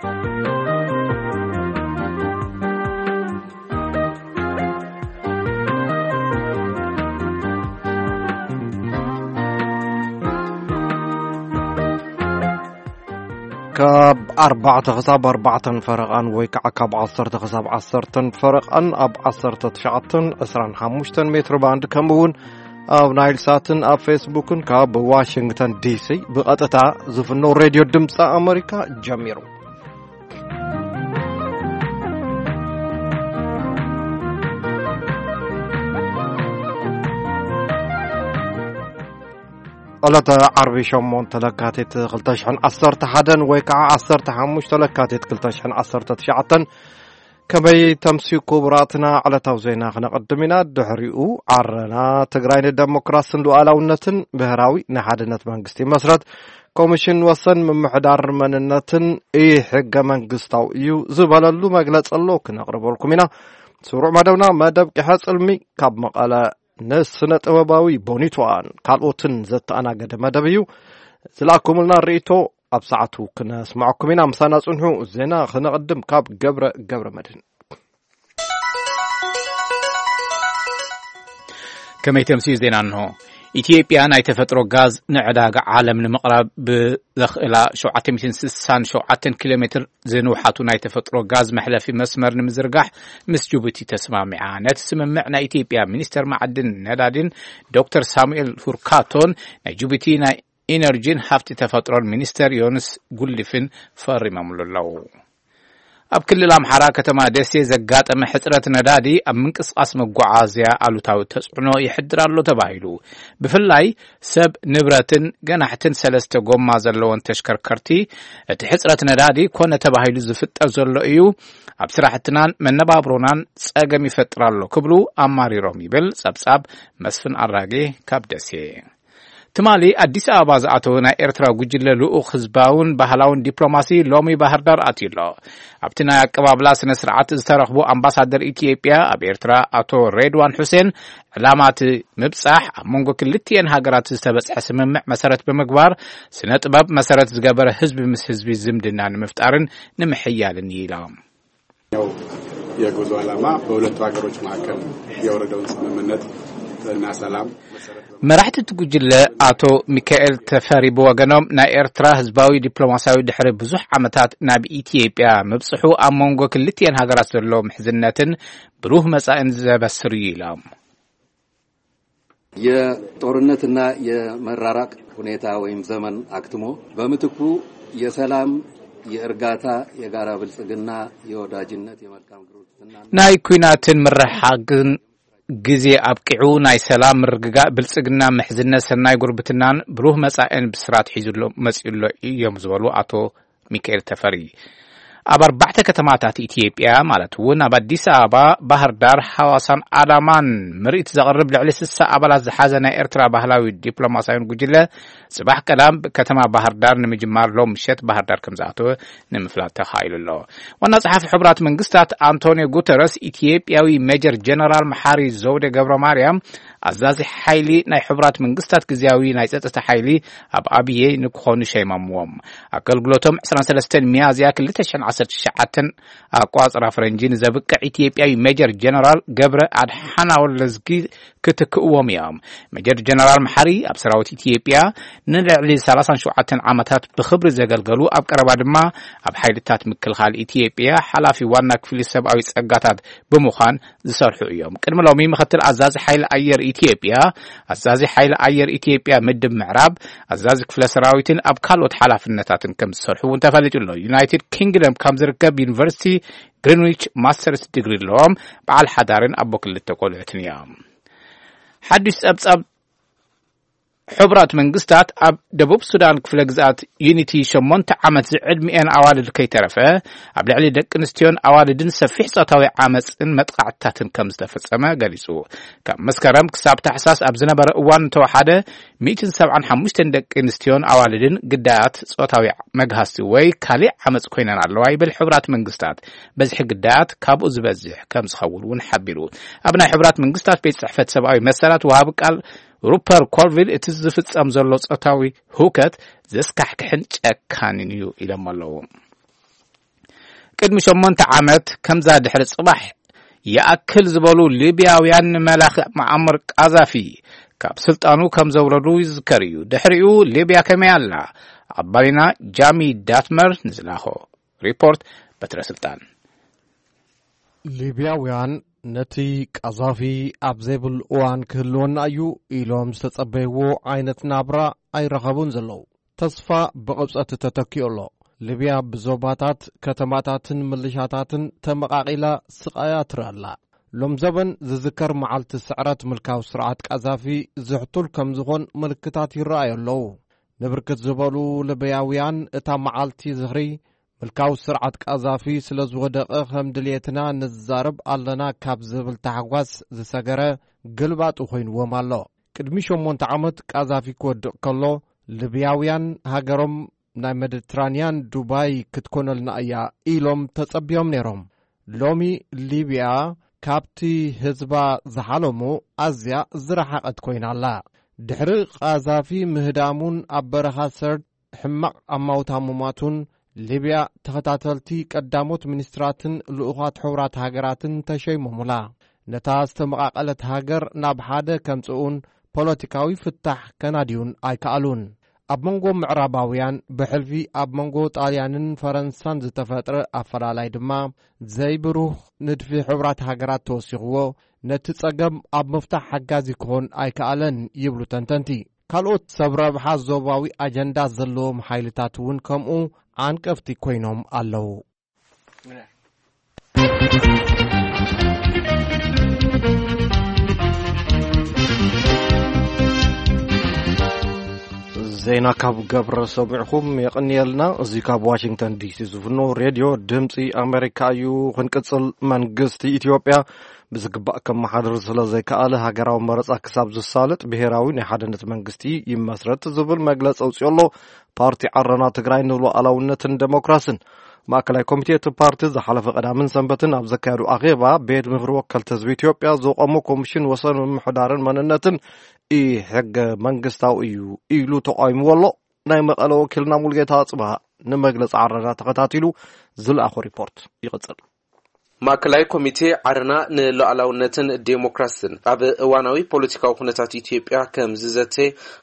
ካብ ኣርባዕተ ክሳብ ኣርባዕተን ፈረቓን ወይ ከዓ ካብ ዓሰርተ ክሳብ ዓሰርተን ፈረቓን ኣብ ዓሰርተ ትሽዓተን ዕስራን ሓሙሽተን ሜትሮ ባንድ፣ ከምኡ እውን ኣብ ናይል ሳትን ኣብ ፌስቡክን ካብ ዋሽንግተን ዲሲ ብቐጥታ ዝፍኖ ሬድዮ ድምፂ ኣመሪካ ጀሚሩ። ዕለተ ዓርቢ ሸሞንተ ለካቲት ክልተ ሽሕን ዓሰርተ ሓደን ወይ ከዓ ዓሰርተ ሓሙሽተ ለካቲት ክልተ ሽሕን ዓሰርተ ትሽዓተን። ከመይ ተምስዩ ክቡራትና? ዕለታዊ ዜና ክነቐድም ኢና። ድሕሪኡ ዓረና ትግራይ ንደሞክራስን ሉዓላውነትን ብሄራዊ ናይ ሓድነት መንግስቲ መስረት ኮሚሽን ወሰን ምምሕዳር መንነትን ኢ-ሕገ መንግስታዊ እዩ ዝበለሉ መግለጺ ኣሎ ክነቕርበልኩም ኢና። ስሩዕ መደብና መደብ ቂሐ ጽልሚ ካብ መቐለ ንስነ ጥበባዊ ቦኒትዋን ካልኦትን ዘተኣናገደ መደብ እዩ። ዝለኣኩምልና ርእይቶ ኣብ ሰዓቱ ክነስምዐኩም ኢና። ምሳና ጽንሑ። ዜና ክነቕድም ካብ ገብረ ገብረ መድህን። ከመይ ተምስዩ ዜና እንሆ። ኢትዮጵያ ናይ ተፈጥሮ ጋዝ ንዕዳጋ ዓለም ንምቕራብ ብዘኽእላ ሸውዓተ ሚእትን ስሳን ሸውዓተን ኪሎ ሜትር ዝንውሓቱ ናይ ተፈጥሮ ጋዝ መሕለፊ መስመር ንምዝርጋሕ ምስ ጅቡቲ ተስማሚዓ። ነቲ ስምምዕ ናይ ኢትዮጵያ ሚኒስተር ማዕድን ነዳዲን ዶክተር ሳሙኤል ሁርካቶን ናይ ጅቡቲ ናይ ኢነርጂን ሃፍቲ ተፈጥሮን ሚኒስተር ዮንስ ጉልድፍን ፈሪሞምሉ ኣለዉ። ኣብ ክልል ኣምሓራ ከተማ ደሴ ዘጋጠመ ሕጽረት ነዳዲ ኣብ ምንቅስቓስ መጓዓዝያ ኣሉታዊ ተጽዕኖ ይሕድር ኣሎ ተባሂሉ። ብፍላይ ሰብ፣ ንብረትን ገናሕትን ሰለስተ ጎማ ዘለወን ተሽከርከርቲ እቲ ሕጽረት ነዳዲ ኮነ ተባሂሉ ዝፍጠር ዘሎ እዩ፣ ኣብ ስራሕትናን መነባብሮናን ጸገም ይፈጥር ኣሎ ክብሉ ኣማሪሮም ይብል ጸብጻብ መስፍን ኣራጌ ካብ ደሴ። ትማሊ ኣዲስ ኣበባ ዝኣተወ ናይ ኤርትራ ጉጅለ ልኡኽ ህዝባውን ባህላውን ዲፕሎማሲ ሎሚ ባህር ዳር ኣትዩ ኣሎ። ኣብቲ ናይ ኣቀባብላ ስነ ስርዓት ዝተረኽቡ ኣምባሳደር ኢትዮጵያ ኣብ ኤርትራ ኣቶ ሬድዋን ሑሴን፣ ዕላማ እቲ ምብጻሕ ኣብ መንጎ ክልቲኤን ሃገራት ዝተበጽሐ ስምምዕ መሰረት ብምግባር ስነ ጥበብ መሰረት ዝገበረ ህዝቢ ምስ ህዝቢ ዝምድና ንምፍጣርን ንምሕያልን እዩ ኢሎም። ያው የጉዞ ዓላማ በሁለቱ ሀገሮች መካከል የወረደውን ስምምነት እና ሰላም መሰረት በማድረግ መራሕቲ እቲ ጉጅለ ኣቶ ሚካኤል ተፈሪ ብወገኖም፣ ናይ ኤርትራ ህዝባዊ ዲፕሎማሲያዊ ድሕሪ ብዙሕ ዓመታት ናብ ኢትዮጵያ ምብጽሑ ኣብ መንጎ ክልቲኤን ሃገራት ዘሎ ምሕዝነትን ብሩህ መጻኢን ዘበስር እዩ ኢሎም። የጦርነትና የመራራቅ ሁኔታ ወይም ዘመን አክትሞ በምትኩ የሰላም፣ የእርጋታ፣ የጋራ ብልጽግና፣ የወዳጅነት፣ የመልካም ጉርብትና ናይ ኲናትን ምርሕሓግን ግዜ ኣብቂዑ፣ ናይ ሰላም፣ ምርግጋእ፣ ብልጽግና፣ ምሕዝነት፣ ሰናይ ጉርብትናን ብሩህ መጻኢን ብስራት ሒዙ ኣሎ፣ መጺኡ ኣሎ እዮም ዝበሉ ኣቶ ሚካኤል ተፈሪ፣ ኣብ ኣርባዕተ ከተማታት ኢትዮጵያ ማለት እውን ኣብ ኣዲስ ኣበባ፣ ባህር ዳር፣ ሐዋሳን ኣዳማን ምርኢት ዘቕርብ ልዕሊ ስሳ ኣባላት ዝሓዘ ናይ ኤርትራ ባህላዊ ዲፕሎማሲያዊ ጉጅለ ጽባሕ ቀዳም ከተማ ባህር ዳር ንምጅማር ሎም ምሸት ባህር ዳር ከም ዝኣተወ ንምፍላጥ ተኻኢሉ ኣሎ። ዋና ጸሓፊ ሕቡራት መንግስታት ኣንቶኒዮ ጉተረስ ኢትዮጵያዊ ሜጀር ጀነራል መሓሪ ዘውዴ ገብረ ማርያም ኣዛዚ ሓይሊ ናይ ሕቡራት መንግስታት ግዝያዊ ናይ ጸጥታ ሓይሊ ኣብ ኣብየ ንክኾኑ ሸይሞምዎም። ኣገልግሎቶም ዕስራን ሰለስተን ሚያዝያ ክልተ ሽሕን ዓሰርተ ትሽዓተን ኣቋጽራ ፈረንጂ ንዘብቅዕ ኢትዮጵያዊ ሜጀር ጀነራል ገብረ ኣድሓና ወለዝጊ ክትክእዎም እዮም። ሜጀር ጀነራል መሓሪ ኣብ ሰራዊት ኢትዮጵያ ንልዕሊ ሰላሳን ሸውዓተን ዓመታት ብኽብሪ ዘገልገሉ፣ ኣብ ቀረባ ድማ ኣብ ሓይልታት ምክልኻል ኢትዮጵያ ሓላፊ ዋና ክፍሊ ሰብኣዊ ጸጋታት ብምዃን ዝሰርሑ እዮም። ቅድሚ ሎሚ ምክትል ኣዛዚ ሓይሊ ኣየር ኢትዮጵያ፣ ኣዛዚ ሓይሊ ኣየር ኢትዮጵያ ምድብ ምዕራብ፣ ኣዛዚ ክፍለ ሰራዊትን ኣብ ካልኦት ሓላፍነታትን ከም ዝሰርሑ እውን ተፈሊጡ ኣሎ። ዩናይትድ ኪንግደም ከም ዝርከብ ዩኒቨርሲቲ ግሪንዊች ማስተርስ ዲግሪ ኣለዎም። በዓል ሓዳርን ኣቦ ክልተ ቆልዑትን እዮም። ሓድሽ ጸብጻብ ሕቡራት መንግስታት ኣብ ደቡብ ሱዳን ክፍለ ግዝኣት ዩኒቲ ሸሞንተ ዓመት ዝዕድሚኤን ኣዋልድ ከይተረፈ ኣብ ልዕሊ ደቂ ኣንስትዮን ኣዋልድን ሰፊሕ ጾታዊ ዓመፅን መጥቃዕትታትን ከም ዝተፈጸመ ገሊጹ። ካብ መስከረም ክሳብ ታሕሳስ ኣብ ዝነበረ እዋን እንተወሓደ ሚእትን ሰብዓን ሓሙሽተን ደቂ ኣንስትዮን ኣዋልድን ግዳያት ጾታዊ መግሃስቲ ወይ ካሊእ ዓመፅ ኮይነን ኣለዋ ይብል ሕቡራት መንግስታት። በዝሒ ግዳያት ካብኡ ዝበዝሕ ከም ዝኸውን እውን ሓቢሩ። ኣብ ናይ ሕቡራት መንግስታት ቤት ጽሕፈት ሰብኣዊ መሰላት ወሃቢ ቃል ሩፐር ኮልቪል እቲ ዝፍጸም ዘሎ ጾታዊ ህውከት ዘስካሕክሕን ጨካንን እዩ ኢሎም ኣለዉ። ቅድሚ ሸሞንተ ዓመት ከምዛ ድሕሪ ጽባሕ ይኣክል ዝበሉ ሊብያውያን ንመላኺ መዓመር ቃዛፊ ካብ ስልጣኑ ከም ዘውረዱ ይዝከር እዩ። ድሕሪኡ ሊብያ ከመይ ኣላ? ኣባሊና ጃሚ ዳትመር ንዝላኾ ሪፖርት በትረ ስልጣን። ሊብያውያን ነቲ ቀዛፊ ኣብ ዘይብሉ እዋን ክህልወና እዩ ኢሎም ዝተጸበይዎ ዓይነት ናብራ ኣይረኸቡን ዘለዉ። ተስፋ ብቕብጸት ተተኪኡ ኣሎ። ሊብያ ብዞባታት፣ ከተማታትን ምልሻታትን ተመቓቒላ ስቓያ ትርኢ ኣላ። ሎም ዘበን ዝዝከር መዓልቲ ስዕረት ምልካዊ ስርዓት ቀዛፊ ዝሕቱል ከም ዝኾን ምልክታት ይረኣዩ ኣለዉ። ንብርክት ዝበሉ ሊብያውያን እታ መዓልቲ ዝኽሪ ምልካዊ ስርዓት ቀዛፊ ስለ ዝወደቐ ከም ድልየትና ንዛረብ ኣለና ካብ ዝብል ታሕጓስ ዝሰገረ ግልባጡ ኮይንዎም ኣሎ። ቅድሚ ሸሞንተ ዓመት ቀዛፊ ክወድቕ ከሎ ሊብያውያን ሃገሮም ናይ ሜዲትራንያን ዱባይ ክትኮነልና እያ ኢሎም ተጸቢዮም ነይሮም። ሎሚ ሊብያ ካብቲ ህዝባ ዝሓለሙ ኣዝያ ዝረሓቐት ኮይና ኣላ። ድሕሪ ቃዛፊ ምህዳሙን ኣብ በረኻ ሰርድ ሕማቕ ኣማውታ ሙማቱን ሊብያ ተኸታተልቲ ቀዳሞት ሚኒስትራትን ልኡኻት ሕቡራት ሃገራትን ተሸይሞሙላ። ነታ ዝተመቓቐለት ሃገር ናብ ሓደ ከምጽኡን ፖለቲካዊ ፍታሕ ከናድዩን ኣይከኣሉን። ኣብ መንጎ ምዕራባውያን ብሕልፊ ኣብ መንጎ ጣልያንን ፈረንሳን ዝተፈጥረ ኣፈላላይ ድማ ዘይብሩህ ንድፊ ሕቡራት ሃገራት ተወሲኽዎ ነቲ ጸገም ኣብ ምፍታሕ ሓጋዚ ክኾን ኣይከኣለን ይብሉ ተንተንቲ። ካልኦት ሰብ ረብሓ ዞባዊ ኣጀንዳ ዘለዎም ሓይልታት እውን ከምኡ ዓንቀፍቲ ኮይኖም ኣለዉ። ዜና ካብ ገብረ ሰሚዕኹም የቐንየልና። እዚ ካብ ዋሽንግተን ዲሲ ዝፍኖ ሬድዮ ድምፂ ኣሜሪካ እዩ። ክንቅፅል፣ መንግስቲ ኢትዮጵያ ብዝግባእ ከመሓድር ስለ ዘይከኣለ፣ ሃገራዊ መረፃ ክሳብ ዝሳለጥ ብሄራዊ ናይ ሓድነት መንግስቲ ይመስረት ዝብል መግለፂ ኣውፂኡ ኣሎ። ፓርቲ ዓረና ትግራይ ንሉዓላውነትን ዴሞክራስን ማእከላይ ኮሚቴ እቲ ፓርቲ ዝሓለፈ ቀዳምን ሰንበትን ኣብ ዘካየዱ ኣኼባ፣ ቤት ምኽሪ ወከልቲ ህዝቢ ኢትዮጵያ ዘቆሞ ኮሚሽን ወሰን ምምሕዳርን መንነትን ኢ-ሕገ መንግስታዊ እዩ ኢሉ ተቃዊምዎ ኣሎ። ናይ መቐለ ወኪልና ሙሉጌታ ኣጽብሃ ንመግለጺ ዓረና ተኸታቲሉ ዝለኣኾ ሪፖርት ይቕጽል። ማእከላይ ኮሚቴ ዓረና ንሉዓላውነትን ዴሞክራስን ኣብ እዋናዊ ፖለቲካዊ ኩነታት ኢትዮጵያ ከም ዝዘተ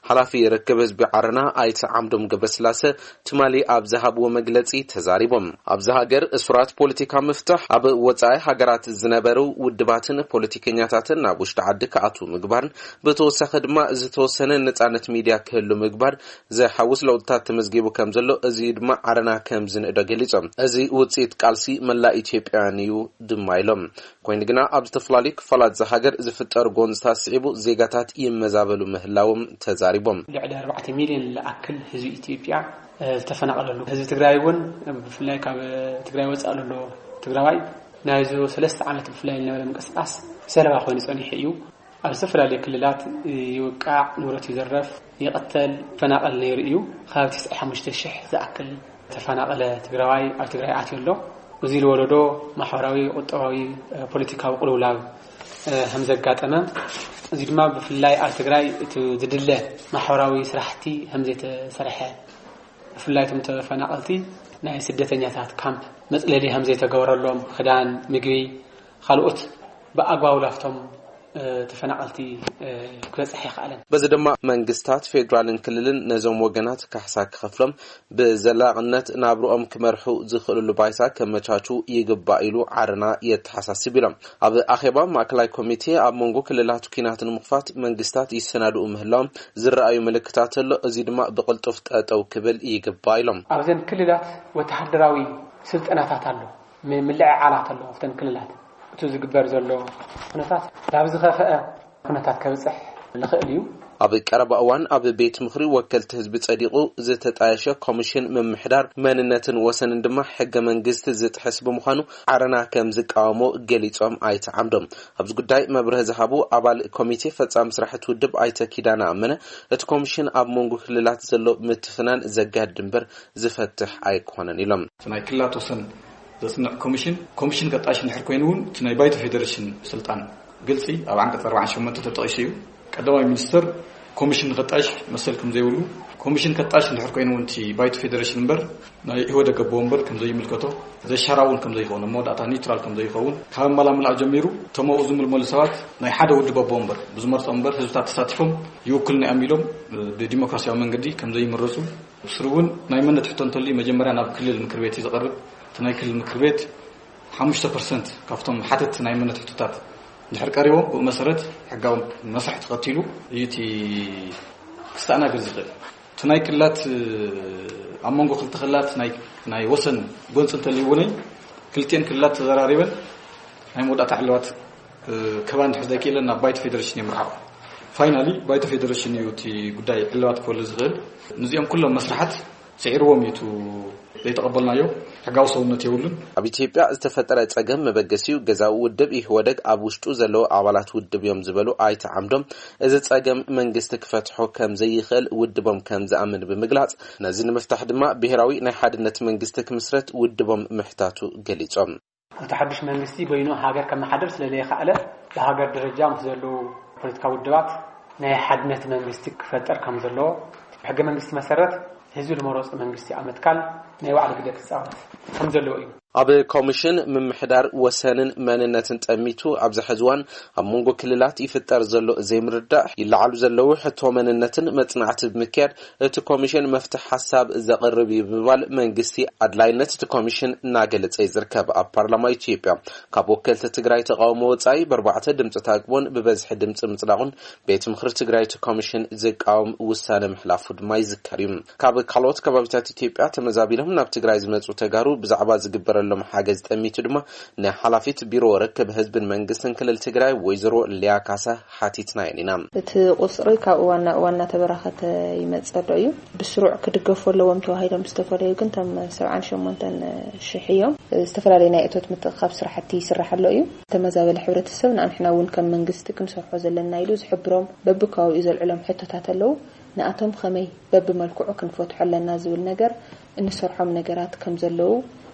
ሓላፊ ርክብ ህዝቢ ዓረና ኣይተ ዓምዶም ገብረስላሰ ትማሊ ኣብ ዝሃብዎ መግለጺ ተዛሪቦም። ኣብዚ ሃገር እሱራት ፖለቲካ ምፍታሕ፣ ኣብ ወጻኢ ሃገራት ዝነበሩ ውድባትን ፖለቲከኛታትን ናብ ውሽጢ ዓዲ ክኣትዉ ምግባርን ብተወሳኺ ድማ ዝተወሰነ ነጻነት ሚድያ ክህሉ ምግባር ዘሓውስ ለውጥታት ተመዝጊቡ ከም ዘሎ፣ እዚ ድማ ዓረና ከም ዝንእዶ ገሊጾም። እዚ ውጽኢት ቃልሲ መላእ ኢትዮጵያውያን እዩ ድማ ኢሎም። ኮይኑ ግና ኣብ ዝተፈላለዩ ክፋላት እዛ ሃገር ዝፍጠሩ ጎንፅታት ስዒቡ ዜጋታት ይመዛበሉ ምህላዎም ተዛሪቦም። ልዕሊ ኣርባዕተ ሚልዮን ዝኣክል ህዝቢ ኢትዮጵያ ዝተፈናቐለሉ፣ ህዝቢ ትግራይ እውን ብፍላይ ካብ ትግራይ ወፃእ ዘሎ ትግራዋይ ናይዚ ሰለስተ ዓመት ብፍላይ ዝነበረ ምንቅስቃስ ሰለባ ኮይኑ ፀኒሑ እዩ። ኣብ ዝተፈላለዩ ክልላት ይውቃዕ፣ ንብረት ይዘረፍ፣ ይቕተል፣ ይፈናቐል ነይሩ እዩ። ካብ ትስዓን ሓሙሽተን ሽሕ ዝኣክል ተፈናቐለ ትግራዋይ ኣብ ትግራይ ኣትዩ ኣሎ። እዚ ዝወለዶ ማሕበራዊ፣ ቁጠባዊ፣ ፖለቲካዊ ቅልውላው ከም ዘጋጠመ፣ እዚ ድማ ብፍላይ ኣብ ትግራይ እቲ ዝድለ ማሕበራዊ ስራሕቲ ከም ዘይተሰርሐ፣ ብፍላይ እቶም ተፈናቐልቲ ናይ ስደተኛታት ካምፕ መፅለሊ ከም ዘይተገበረሎም፣ ክዳን፣ ምግቢ፣ ካልኦት ብኣግባቡ ላፍቶም ተፈናቐልቲ ክበፅሕ ኣይከኣለን። በዚ ድማ መንግስታት ፌዴራልን ክልልን ነዞም ወገናት ካሕሳ ክኸፍሎም፣ ብዘላቕነት ናብርኦም ክመርሑ ዝኽእልሉ ባይታ ከመቻቹ ይግባእ ኢሉ ዓረና የተሓሳስብ ኢሎም። ኣብ ኣኼባ ማእከላይ ኮሚቴ ኣብ መንጎ ክልላት ኲናት ንምኽፋት መንግስታት ይሰናድኡ ምህላዎም ዝረኣዩ ምልክታት ኣሎ፣ እዚ ድማ ብቕልጡፍ ጠጠው ክብል ይግባእ ኢሎም። ኣብዘን ክልላት ወተሃደራዊ ስልጠናታት ኣሎ፣ ም-፣ ምልዕዓላት ኣሎ ኣብተን ክልላት። እቲ ዝግበር ዘሎ ኩነታት ናብ ዝኸፍአ ኩነታት ከብፅሕ ንኽእል እዩ። ኣብ ቀረባ እዋን ኣብ ቤት ምኽሪ ወከልቲ ህዝቢ ጸዲቑ ዝተጣየሸ ኮሚሽን ምምሕዳር መንነትን ወሰንን ድማ ሕገ መንግስቲ ዝጥሕስ ብምዃኑ ዓረና ከም ዝቃወሞ ገሊጾም ኣይተ ዓምዶም። ኣብዚ ጉዳይ መብርሂ ዝሃቡ ኣባል ኮሚቴ ፈጻሚ ስራሕቲ ውድብ ኣይተ ኪዳነ ኣመነ፣ እቲ ኮሚሽን ኣብ መንጎ ክልላት ዘሎ ምትፍናን ዘጋድድ እምበር ዝፈትሕ ኣይኮነን ኢሎም። እቲ ናይ ክልላት ወሰን ዘጽንዕ ኮሚሽን፣ ኮሚሽን ቀጣይሽ እንድሕር ኮይኑ እውን እቲ ናይ ባይቶ ፌዴሬሽን ስልጣን ግልጺ ኣብ ዓንቀጽ ኣርባዓን ሸሞንተን ተጠቒሱ እዩ። ቀዳማይ ሚኒስትር ኮሚሽን ከጣይሽ መሰል ከም ዘይብሉ፣ ኮሚሽን ከጣይሽ እንድሕር ኮይኑ እውን እቲ ባይቶ ፌዴሬሽን እምበር ናይ ኢህወደግ ኣቦ ወንበር ከም ዘይምልከቶ፣ ዘሻራ እውን ከም ዘይኸውን፣ ኣብ መወዳእታ ኒውትራል ከም ዘይኸውን፣ ካብ ኣመላምላእ ጀሚሩ እቶም ኣብኡ ዝምልመሉ ሰባት ናይ ሓደ ውድብ ኣቦ ወንበር ብዝመርጾ እምበር ህዝብታት ተሳቲፎም ይውክሉና እዮም ኢሎም ብዲሞክራሲያዊ መንገዲ ከም ዘይምረጹ፣ ብስሩ እውን ናይ መንነት ሕቶ እንተልዩ መጀመርያ ናብ ክልል ምክር ቤት እዩ ዝቐርብ። እቲ ናይ ክልል ምክር ቤት ሓሙሽተ ፐርሰንት ካብቶም ሓተት ናይ መንነት ሕቶታት እንድሕር ቀሪቦም፣ ብኡ መሰረት ሕጋዊ መስርሕ ተኸቲሉ እዩ እቲ ክስተኣናገድ ዝኽእል። እቲ ናይ ክልላት፣ ኣብ መንጎ ክልተ ክልላት ናይ፣ ናይ ወሰን ጎንፂ እንተልዩ እውን ክልቲኤን ክልላት ተዘራሪበን ናይ መወዳእታ ዕልባት፣ እ፣ ክህባ እንድሕር ዘይክእለን ናብ ባይቶ ፌዴሬሽን የምርሓቑ። ፋይናሊ ባይቶ ፌዴሬሽን እዩ እቲ ጉዳይ ዕልባት ክህበሉ ዝኽእል። ነዚኦም ኩሎም መስርሓት ስዒርዎም እዩ እቲ ዘይተቐበልናዮ። ሕጋዊ ሰውነት የብሉን። ኣብ ኢትዮጵያ ዝተፈጠረ ጸገም መበገሲኡ ገዛዊ ውድብ ኢህወደግ ኣብ ውሽጡ ዘለዉ ኣባላት ውድብ እዮም ዝበሉ ኣይተ ዓምዶም፣ እዚ ጸገም መንግስቲ ክፈትሖ ከም ዘይኽእል ውድቦም ከም ዝኣምን ብምግላጽ፣ ነዚ ንምፍታሕ ድማ ብሄራዊ ናይ ሓድነት መንግስቲ ክምስረት ውድቦም ምሕታቱ ገሊጾም። እቲ ሓድሽ መንግስቲ በይኑ ሃገር ከመሓድር ስለ ዘይኸኣለ፣ ብሃገር ደረጃ ምስ ዘለዉ ፖለቲካዊ ውድባት ናይ ሓድነት መንግስቲ ክፈጠር ከም ዘለዎ፣ ብሕገ መንግስቲ መሰረት ህዝቢ ዝመረጾ መንግስቲ ኣብ ምትካል ናይ ባዕሉ ግደ ክጻወት ከም ዘለዎ እዩ። ኣብ ኮሚሽን ምምሕዳር ወሰንን መንነትን ጠሚቱ ኣብዚ ሕዚ እዋን ኣብ መንጎ ክልላት ይፍጠር ዘሎ ዘይምርዳእ፣ ይለዓሉ ዘለዉ ሕቶ መንነትን መጽናዕቲ ብምክያድ እቲ ኮሚሽን መፍትሒ ሓሳብ ዘቕርብ እዩ ብምባል መንግስቲ ኣድላይነት እቲ ኮሚሽን እናገለጸ እዩ ዝርከብ። ኣብ ፓርላማ ኢትዮጵያ ካብ ወከልቲ ትግራይ ተቃውሞ ወጻኢ ብኣርባዕተ ድምፂ ታቅቦን ብበዝሒ ድምፂ ምጽዳቑን ቤት ምኽሪ ትግራይ እቲ ኮሚሽን ዝቃወም ውሳነ ምሕላፉ ድማ ይዝከር እዩ። ካብ ካልኦት ከባቢታት ኢትዮጵያ ተመዛቢሎም ናብ ትግራይ ዝመጹ ተጋሩ ብዛዕባ ዝግበረሎም ሓገዝ ጠሚቱ ድማ ንሓላፊት ቢሮ ርክብ ህዝብን መንግስትን ክልል ትግራይ ወይዘሮ ሊያ ካሳ ሓቲትናየን ኢና። እቲ ቁጽሪ ካብ እዋን ናብ እዋን እናተበራኸተ ይመጽእ ኣሎ እዩ። ብስሩዕ ክድገፉ ኣለዎም ተባሂሎም ዝተፈለዩ ግን እቶም ሰብዓን ሸሞንተን ሽሕ እዮም። ዝተፈላለዩ ናይ እቶት ምትእኽኻብ ስራሕቲ ይስራሕ ኣሎ እዩ። ተመዛበለ ሕብረተሰብ ንኣንሕና እውን ከም መንግስቲ ክንሰርሖ ዘለና ኢሉ ዝሕብሮም በብከባቢኡ ዘልዕሎም ሕቶታት ኣለዉ። ንኣቶም ከመይ በብመልክዑ ክንፈትሖ ኣለና ዝብል ነገር እንሰርሖም ነገራት ከም ዘለዉ፣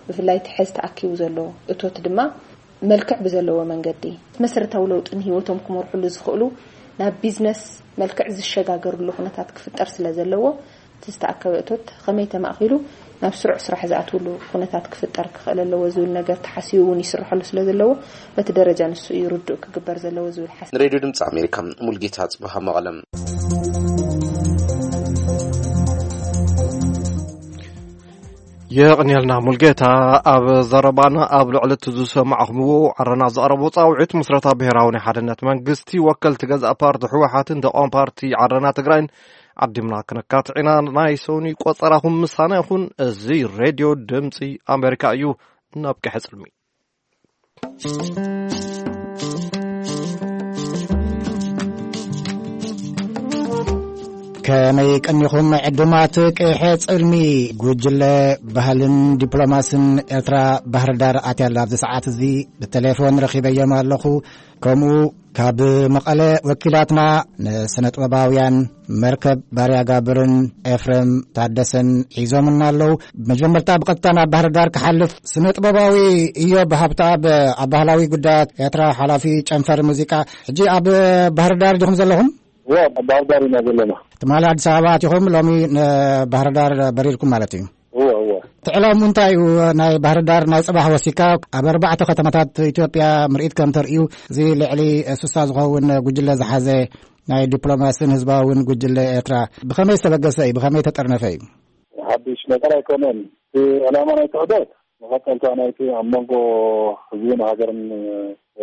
ብፍላይ እቲ ሕዚ ተኣኪቡ ዘሎ እቶት ድማ መልክዕ ብዘለዎ መንገዲ መሰረታዊ ለውጢ ንህይወቶም ክመርሕሉ ዝኽእሉ ናብ ቢዝነስ መልክዕ ዝሸጋገርሉ ኩነታት ክፍጠር ስለ ዘለዎ፣ እቲ ዝተኣከበ እቶት ከመይ ተማእኺሉ ናብ ስሩዕ ስራሕ ዝኣትውሉ ኩነታት ክፍጠር ክኽእል ኣለዎ ዝብል ነገር ተሓሲቡ እውን ይስርሐሉ ስለ ዘለዎ፣ በቲ ደረጃ ንሱ እዩ ርዱእ ክግበር ዘለዎ ዝብል ሓሳብ። ንሬድዮ ድምፂ ኣሜሪካ፣ ሙልጌታ ጽበሃ፣ መቐለም። የቕንየልና ሙልጌታ። ኣብ ዘረባና ኣብ ልዕሊ እቲ ዝሰማዕኹምዎ፣ ዓረና ዘቕረቦ ጻውዒት ምስረታ ብሔራዊ ናይ ሓድነት መንግስቲ፣ ወከልቲ ገዛእ ፓርቲ ህወሓትን ተቃዋሚ ፓርቲ ዓረና ትግራይን ዓዲምና ክነካትዕ ኢና። ናይ ሰኑይ ቆጸራኹም ምሳና ይኹን። እዚ ሬድዮ ድምጺ ኣሜሪካ እዩ። ናብ ቀሕጽልሚ። ከመይ ቀኒኹም ዕዱማት ቀይሐ ጽልሚ? ጉጅለ ባህልን ዲፕሎማስን ኤርትራ ባህር ዳር ኣትያ ኣላ። ኣብዚ ሰዓት እዚ ብቴሌፎን ረኺበዮም ኣለኹ። ከምኡ ካብ መቐለ ወኪላትና ንስነ-ጥበባውያን መርከብ ባርያ ጋብርን ኤፍሬም ታደሰን ሒዞምና ኣለዉ። መጀመርታ ብቐጥታ ናብ ባህር ዳር ክሓልፍ፣ ስነ-ጥበባዊ ኢዮብ ሃብተኣብ ኣብ ባህላዊ ጉዳያት ኤርትራ ሓላፊ ጨንፈር ሙዚቃ፣ ሕጂ ኣብ ባህር ዳር ዲኹም ዘለኹም? እወ፣ ኣብ ባህር ዳር ኢና ዘለና። ትማሊ ኣዲስ ኣበባ ኣቲኹም፣ ሎሚ ንባህር ዳር በሪርኩም ማለት እዩ? እወ፣ እወ። ትዕላሙ እንታይ እዩ? ናይ ባህር ዳር ናይ ጽባሕ ወሲካ ኣብ ኣርባዕተ ከተማታት ኢትዮጵያ ምርኢት ከም ተርእዩ፣ እዚ ልዕሊ ስሳ ዝኸውን ጉጅለ ዝሓዘ ናይ ዲፕሎማስን ህዝባውን ጉጅለ ኤርትራ ብኸመይ ዝተበገሰ እዩ? ብኸመይ ተጠርነፈ እዩ? ሓድሽ ነገር ኣይኮነን። እቲ ዕላማ ናይቲ ዑደት መቐጸልታ ናይቲ ኣብ መንጎ ህዝብን ሃገርን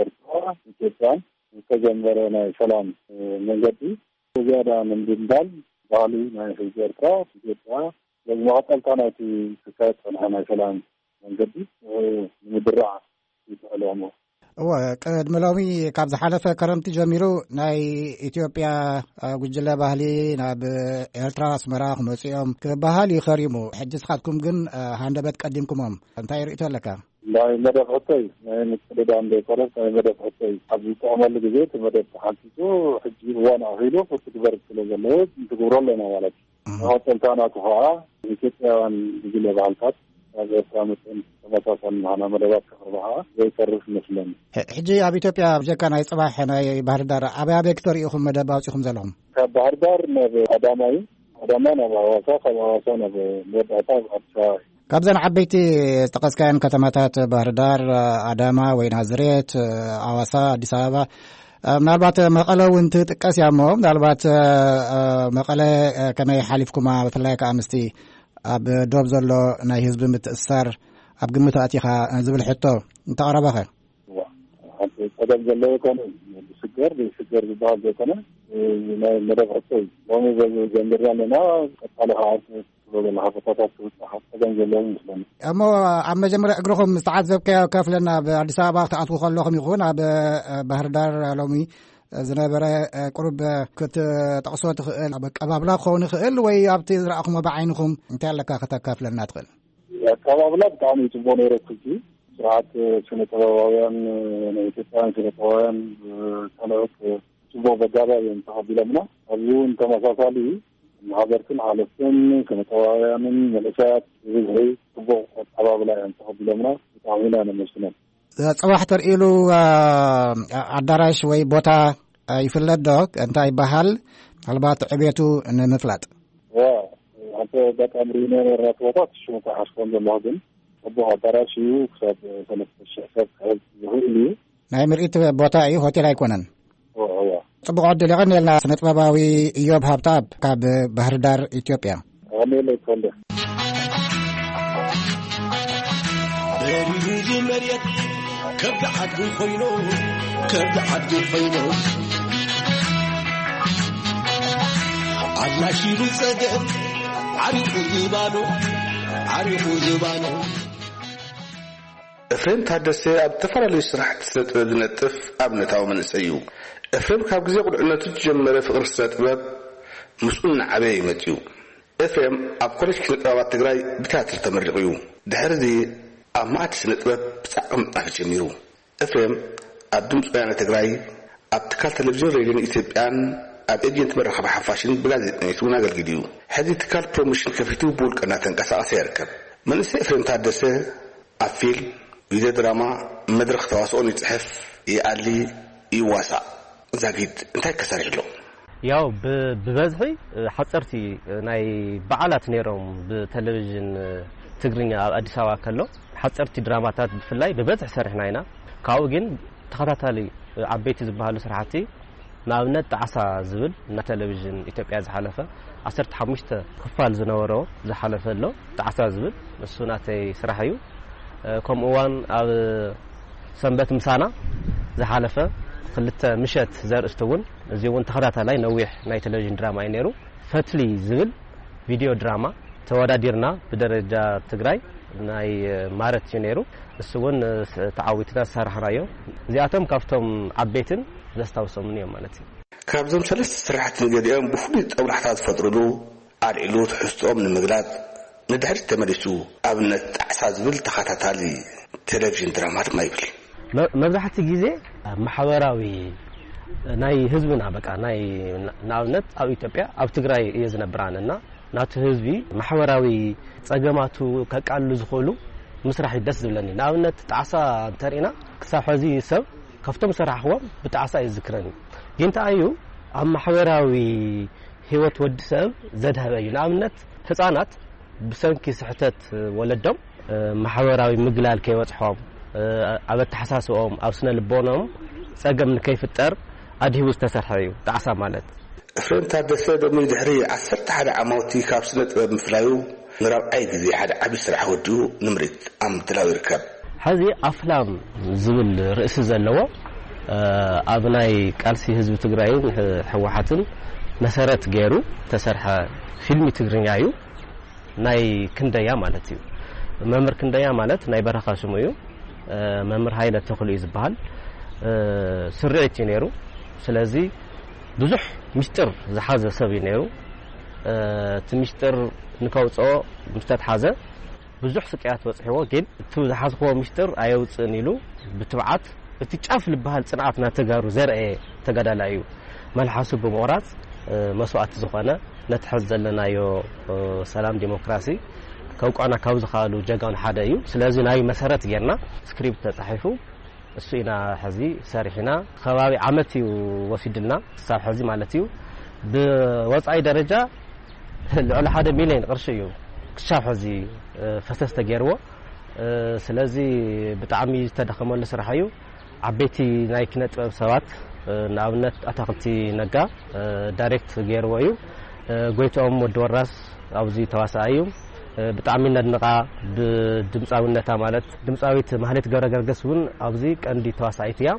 ኤርትራ ኢትዮጵያን ዝተጀመረ ናይ ሰላም መንገዲ ዝያዳ ንምድልዳል ባህሊ ናይ ህዝቢ ኤርትራ ኢትዮጵያ፣ በዚ መቐጸልታ ናይቲ ክካየድ ጸንሐ ናይ ሰላም መንገዲ ንምድራዕ እዩ ተዕሊሙ። እወ፣ ቅድሚ ሎሚ ካብ ዝሓለፈ ከረምቲ ጀሚሩ ናይ ኢትዮጵያ፣ አ፣ ጉጅለ ባህሊ ናብ ኤርትራ ኣስመራ ክመጹ እዮም ክበሃል እዩ ከሪሙ። ሕጂ ንስኻትኩም ግን፣ አ፣ ሃንደበት ቀዲምኩሞም። እንታይ ርእይቶ ኣለካ? ናይ መደብ ሕቶይ ናይ ምቅድዳም ዘይኮነስ ናይ መደብ ሕቶይ ኣብ ዝጥዕመሉ ግዜ እቲ መደብ ተሓንጺጹ ሕጂ እዋን ኣኺሉ ክትግበር ስለ ዘለዎ ንትግብሮ ኣለና ማለት እዩ። እህ። መቐጸልታ ናቱ ኸዓ ኢትዮጵያውያን ጉጅለ ባህልታት ኣብ ኤርትራ መፅን ተመሳሳሊ ምዃና መደባት ከቕርባ ከዓ ዘይተርፍ ይመስለኒ። ሕጂ ኣብ ኢትዮጵያ ብጀካ ናይ ፅባሕ ናይ ባህር ዳር ኣበይ ኣበይ ክተርእዩ ኢኹም መደብ ኣውፂኹም ዘለኹም? ካብ ባህር ዳር ናብ ኣዳማ እዩ። ኣዳማ ናብ ኣዋሳ፣ ካብ ኣዋሳ ናብ መወዳእታ ኣብ ኣዲስ ኣበባ እዩ። ካብዘን ዓበይቲ ዝጠቀስካየን ከተማታት ባህር ዳር፣ ኣዳማ ወይ ናዝሬት፣ ኣዋሳ፣ ኣዲስ ኣበባ፣ ምናልባት መቐለ እውን ትጥቀስ እያ እሞ፣ ምናልባት መቐለ ከመይ ሓሊፍኩማ? ብፍላይ ከዓ ምስቲ ኣብ ዶብ ዘሎ ናይ ህዝቢ ምትእስሳር ኣብ ግምት ኣእቲኻ ዝብል ሕቶ እንተቐረበኸ? እዋ፣ ሓንቲ ጸገም ዘለዎ ኣይኮነን። ብስገር ብስገር ዝበሃል ዘይኮነ፣ ናይ መደብ ሕቶ እዩ። ሎሚ በዚ ጀሚርና ኣለና። ቀጻሊ ከዓ ትብሎ ዘለኻ ቦታታት ትብጻሕ ጸገም ዘለዎ ይመስለኒ። እሞ ኣብ መጀመርያ እግርኹም ዝተዓዘብካዮ ከፍለና፣ ኣብ ኣዲስ ኣበባ ክትኣትዉ ከለኹም ይኹን ኣብ ባህር ዳር ሎሚ ዝነበረ ቁሩብ ክትጠቕሶ ትኽእል? ኣብ ኣቀባብላ ክኸውን ይኽእል ወይ ኣብቲ ዝረኣኹሞ ብዓይንኹም እንታይ ኣለካ ከተካፍለና ትኽእል? ኣቀባብላ ብጣዕሚ ጽቡቕ ነይሩ። እቲ ስርዓት ስነ ጥበባውያን፣ ናይ ኢትዮጵያውያን ስነ ጥበባውያን ካልኦት ጽቡቕ በጋባ እዮም ተቐቢሎምና። ኣብዚ እውን ተመሳሳሊ ማሕበርትን ሓለፍትን ስነ ጥበባውያንን መንእሰያት ብብዝሒ ጽቡቕ ኣቀባብላ እዮም ተቐቢሎምና። ብጣዕሚ ኢና ነመስግኖም። ጽባሕ ተርእይሉ ኣዳራሽ ወይ ቦታ ይፍለጥ ዶ? እንታይ ይበሃል? ምናልባት ዕቤቱ ንምፍላጥ። ዋ፣ ኣብቲ ኣጋጣሚ ርኢና ነበርና እቲ ቦታ፣ ሽሙ ከይሓስቦን ዘለኹ፣ ግን ጽቡቕ ኣዳራሽ እዩ። ክሳብ ሰለስተ ሽሕ ሰብ ክሕዝ ዝኽእል እዩ። ናይ ምርኢት ቦታ እዩ፣ ሆቴል ኣይኮነን። እዋ፣ እዋ። ጽቡቕ ዕድል የቐንየልና። ስነ ጥበባዊ እዮብ ሃብተኣብ ካብ ባህር ዳር ኢትዮጵያ። ኣሜን ይኮንደ። በሪሁ ዝመርየት ከብዲ ዓዱ ኮይኑ፣ ከብዲ ዓዱ ኮይኑ፣ ኣድላሽ ኢሉ ጸገም ዓሪቑ ዝባኑ፣ ዓሪቑ ዝባኑ። ኤፍሬም ታደሰ ኣብ ዝተፈላለዩ ስራሕቲ ስነ ጥበብ ዝነጥፍ ኣብነታዊ መንእሰይ እዩ። ኤፍሬም ካብ ግዜ ቁልዕነቱ ዝጀመረ ፍቕሪ ስነ ጥበብ ምስኡ እናዓበየ እዩ መጺኡ። ኤፍሬም ኣብ ኮሌጅ ኪነ ጥበባት ትግራይ ብትያትር ተመሪቑ እዩ። ድሕሪ እዚ ኣብ ማዕዲ ስነ ጥበብ ብጻዕቒ ምጥናፍ ጀሚሩ። ኤፍሬም ኣብ ድምፂ ወያነ ትግራይ፣ ኣብ ትካል ቴሌቪዥን ሬድዮን ኢትዮጵያን ኣብ ኤጀንት መራኸቢ ሓፋሽን ብጋዜጠኝነት እውን ኣገልጊሉ እዩ። ሕዚ ትካል ፕሮሞሽን ከፊቱ ብውልቀ እናተንቀሳቐሰ ይርከብ። መንእሰይ ኤፍሬም ታደሰ ኣብ ፊልም፣ ቪድዮ ድራማ፣ መድረኽ ተዋስኦን ይፅሕፍ፣ ይኣሊ፣ ይዋሳእ። ዛጊድ እንታይ ከሰሪሕ ኣሎ? ያው ብ- ብበዝሒ ሓፀርቲ ናይ በዓላት ነይሮም ብቴሌቪዥን ትግርኛ ኣብ ኣዲስ ኣበባ ከሎ ሓፀርቲ ድራማታት ብፍላይ ብበዝሒ ሰሪሕና ኢና። ካብኡ ግን ተኸታታሊ ዓበይቲ ዝበሃሉ ስራሕቲ ንኣብነት ጣዕሳ ዝብል ናብ ቴሌቪዥን ኢትዮጵያ ዝሓለፈ ዓሰርተ ሓሙሽተ ክፋል ዝነበሮ ዝሓለፈ ኣሎ። ጣዕሳ ዝብል ንሱ ናተይ ስራሕ እዩ። ከምኡ እዋን ኣብ ሰንበት ምሳና ዝሓለፈ ክልተ ምሸት ዘርእስቲ እውን እዚ እውን ተኸታታላይ ነዊሕ ናይ ቴሌቪዥን ድራማ እዩ ነይሩ። ፈትሊ ዝብል ቪድዮ ድራማ ተወዳዲርና ብደረጃ ትግራይ ናይ ማረት እዩ ነይሩ። እሱ እውን ተዓዊትና ዝሰራሕናዮ። እዚኣቶም ካብቶም ዓበይትን ዘስታውሶምን እዮም ማለት እዩ። ካብዞም ሰለስተ ስራሕቲ ንገሊኦም ብፍሉይ ጦብላሕታ ዝፈጥሩሉ ኣልዒሉ ትሕዝትኦም ንምግላጽ ንድሕሪት ተመሊሱ ኣብነት ጣዕሳ ዝብል ተኸታታሊ ቴሌቪዥን ድራማ ድማ ይብል። መብዛሕቲ ግዜ ማሕበራዊ ናይ ህዝብና በቃ ናይ ንኣብነት ኣብ ኢትዮጵያ ኣብ ትግራይ እየ ዝነብር ኣነ እና ናቱ ህዝቢ ማሕበራዊ ጸገማቱ ከቃልሉ ዝኽእሉ ምስራሕ እዩ ደስ ዝብለኒ። ንኣብነት ጣዕሳ እንተሪእና ክሳብ ሕዚ ሰብ ካብቶም ሰራሕዎም ብጣዕሳ እዩ ዝዝክረኒ። ግን እንታይ እዩ ኣብ ማሕበራዊ ህይወት ወዲ ሰብ ዘድሀበ እዩ። ንኣብነት ህፃናት ብሰንኪ ስሕተት ወለዶም ማሕበራዊ ምግላል ከይበፅሖም ኣብ ኣተሓሳስኦም ኣብ ስነ ልቦኖም ፀገም ንከይፍጠር ኣድሂቡ ዝተሰርሐ እዩ ጣዕሳ ማለት። ኤፍሬም ታደሰ ሎሚ ድሕሪ ዓሰርተ ሓደ ዓማውቲ ካብ ስነ ጥበብ ምፍላዩ ንራብዓይ ግዜ ሓደ ዓቢ ስራሕ ወዲኡ ንምርኢት ኣብ ምድላው ይርከብ። ሕዚ ኣፍላም ዝብል ርእሲ ዘለዎ ኣብ ናይ ቃልሲ ህዝቢ ትግራይን ህወሓትን መሰረት ገይሩ ዝተሰርሐ ፊልሚ ትግርኛ እዩ። ናይ ክንደያ ማለት እዩ። መምህር ክንደያ ማለት ናይ በረኻ ሽሙ እዩ። መምህር ሃይለ ተኽሉ እዩ ዝበሃል። ስርዒት እዩ ነይሩ። ስለዚ ብዙሕ ሚስጥር ዝሓዘ ሰብ እዩ ነይሩ። እቲ ሚስጥር ንከውፅኦ ምስ ተትሓዘ ብዙሕ ስቅያት በፅሕዎ፣ ግን እቲ ዝሓዝክዎ ሚስጥር ኣየውፅእን ኢሉ ብትብዓት እቲ ጫፍ ዝበሃል ፅንዓት ናይ ተጋሩ ዘርአየ ተጋዳላይ እዩ። መልሓሱ ብምቑራፅ መስዋእቲ ዝኾነ ነቲ ሕዚ ዘለናዮ ሰላም ዲሞክራሲ ከውቋና ካብ ዝኸኣሉ ጀጋኑ ሓደ እዩ። ስለዚ ናይ መሰረት ጌርና ስክሪፕት ተጻሒፉ እሱ ኢና ሕዚ ሰሪሕና። ከባቢ ዓመት እዩ ወሲድልና ክሳብ ሕዚ ማለት እዩ። ብወጻኢ ደረጃ ልዕሊ ሓደ ሚልዮን ቅርሺ እዩ ክሳብ ሕዚ ፈሰስ ተገይርዎ። ስለዚ ብጣዕሚ ዝተደኸመሉ ስራሕ እዩ። ዓበይቲ ናይ ኪነ ጥበብ ሰባት ንኣብነት ኣታክልቲ ነጋ ዳይሬክት ገይርዎ እዩ። ጎይትኦም ወዲ ወራስ ኣብዚ ተዋሳኣይ እዩ። ብጣዕሚ ነድንቓ ብድምፃዊነታ ማለት ድምፃዊት ማህሌት ገብረ ገርግስ እውን ኣብዚ ቀንዲ ተዋሳኣይት እያ።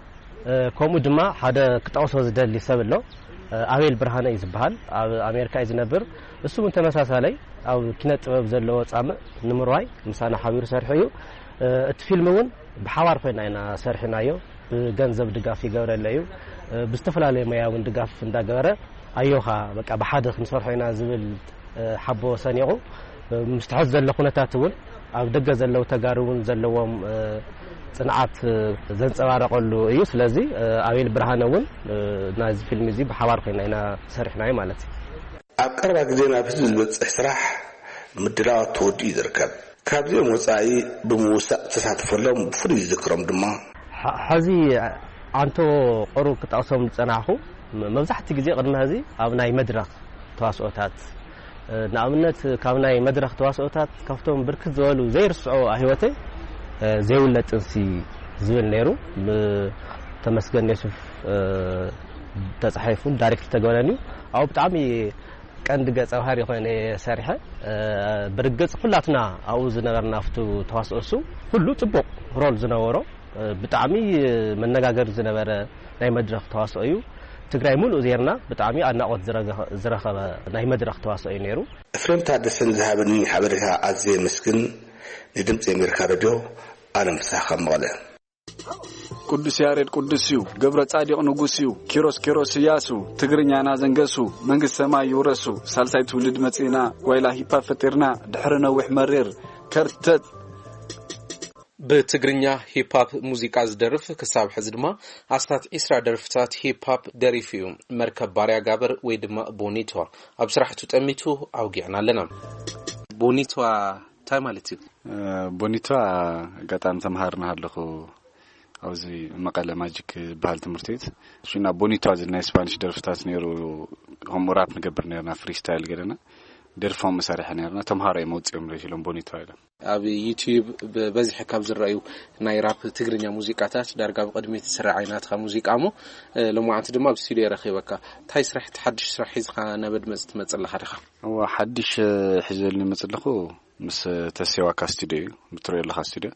ከምኡ ድማ ሓደ ክጠቕሶ ዝደሊ ሰብ ኣሎ፣ ኣቤል ብርሃነ እዩ ዝበሃል። ኣብ ኣሜሪካ እዩ ዝነብር። እሱ እውን ተመሳሳለይ ኣብ ኪነ ጥበብ ዘለዎ ጻምእ ንምርዋይ ምሳና ሓቢሩ ሰርሑ እዩ። እቲ ፊልም እውን ብሓባር ኮይና ኢና ሰርሕናዮ። ብገንዘብ ድጋፍ ይገብረለ እዩ። ብዝተፈላለየ ሞያ እውን ድጋፍ እንዳገበረ ኣዮኻ በቃ ብሓደ ክንሰርሖ ኢና ዝብል ሓቦ ሰኒቑ ምስ ትሕት ዘሎ ኩነታት እውን ኣብ ደገ ዘለዉ ተጋሩ እውን ዘለዎም ጽንዓት ዘንጸባረቐሉ እዩ። ስለዚ ኣቤል ብርሃነ እውን ናይዚ ፊልም እዚ ብሓባር ኮይና ኢና ሰሪሕናዮ ማለት እዩ። ኣብ ቀረባ ግዜ ናብ ህዝቢ ዝበጽሕ ስራሕ ምድላዋት ተወዲኡ እዩ ዝርከብ። ካብዚኦም ወጻኢ ብምውሳእ ተሳትፈሎም ብፍሉይ ዝዝክሮም ድማ ሐዚ ኣንቶ ቅሩብ ክጠቕሶም ዝጸናሕኩ መብዛሕትኡ ግዜ ቅድሚ ሕዚ ኣብ ናይ መድረኽ ተዋስኦታት ንኣብነት ካብ ናይ መድረኽ ተዋስኦታት ካብቶም ብርክት ዝበሉ ዘይርስዖ ህይወተይ ዘይውለድ ጥንሲ ዝብል ነይሩ። ተመስገን የሱፍ ተጻሒፉ ዳይሬክት ተገበረን እዩ። ኣብኡ ብጣዕሚ ቀንዲ ገጸ ባህሪ ኮይነ ሰሪሐ። ብርግጽ ኩላትና ኣብኡ ዝነበርና ኣብቲ ተዋስኦ እሱ ኩሉ ጽቡቕ ሮል ዝነበሮ ብጣዕሚ መነጋገሪ ዝነበረ ናይ መድረኽ ተዋስኦ እዩ። ትግራይ ሙሉእ ዜርና ብጣዕሚ ኣድናቖት ዝረገ- ዝረኸበ ናይ መድረኽ ተዋስኦ እዩ ነይሩ። ኤፍሬም ታደሰን ዝሃበኒ ሓበሬታ ኣዝየ የመስግን። ንድምፂ ኣሜሪካ ሬድዮ ኣለም ፍስሓ ካብ መቐለ። ቅዱስ ያሬድ ቅዱስ እዩ፣ ገብረ ጻዲቕ ንጉስ እዩ፣ ኪሮስ ኪሮስ እያሱ፣ ትግርኛና ዘንገሱ፣ መንግስቲ ሰማይ ይውረሱ፣ ሳልሳይ ትውልድ መጺእና፣ ጓይላ ሂፓ ፈጢርና፣ ድሕሪ ነዊሕ መሪር ከርተት። ብትግርኛ ሂፓፕ ሙዚቃ ዝደርፍ ክሳብ ሕዚ ድማ ኣስታት ዒስራ ደርፍታት ሂፓፕ ደሪፉ እዩ። መርከብ ባርያ ጋበር ወይ ድማ ቦኒቷ ኣብ ስራሕቱ ጠሚቱ ኣውጊዕና ኣለና። ቦኒቷ እንታይ ማለት እዩ? ቦኒቷ ኣጋጣሚ ተምሃርና ኣለኹ ኣብዚ መቐለ ማጂክ ዝበሃል ትምህርቲ ቤት ሽና ቦኒቷ ዝብል ናይ ስፓኒሽ ደርፍታት ነይሩ። ከምኡ ራፕ ንገብር ነርና ፍሪስታይል ገለና ደርፎም መሳርሒ ነርና ተምሃሮ እዮም ኣውፅኦም ለ ኢሎም ቦኒቷ ኢሎም። ኣብ ዩቲዩብ ብበዝሒ ካብ ዝረኣዩ ናይ ራፕ ትግርኛ ሙዚቃታት ዳርጋ ብቕድሚት ዝስራዕ ዓይናትካ ሙዚቃ እሞ ሎማዓንቲ ድማ ኣብ ስቱዲዮ ረኺበካ እንታይ ስራሕ እቲ ሓድሽ ስራሕ ሒዝካ ናብ ኣድመፅቲ ትመፅእ ኣለኻ ዲኻ? እዋ ሓድሽ ሒዘሉ ይመፅእ ኣለኹ ምስ ተሴዋካ ስቱዲዮ እዩ ብትሪኦ ኣለኻ ስቱዲዮ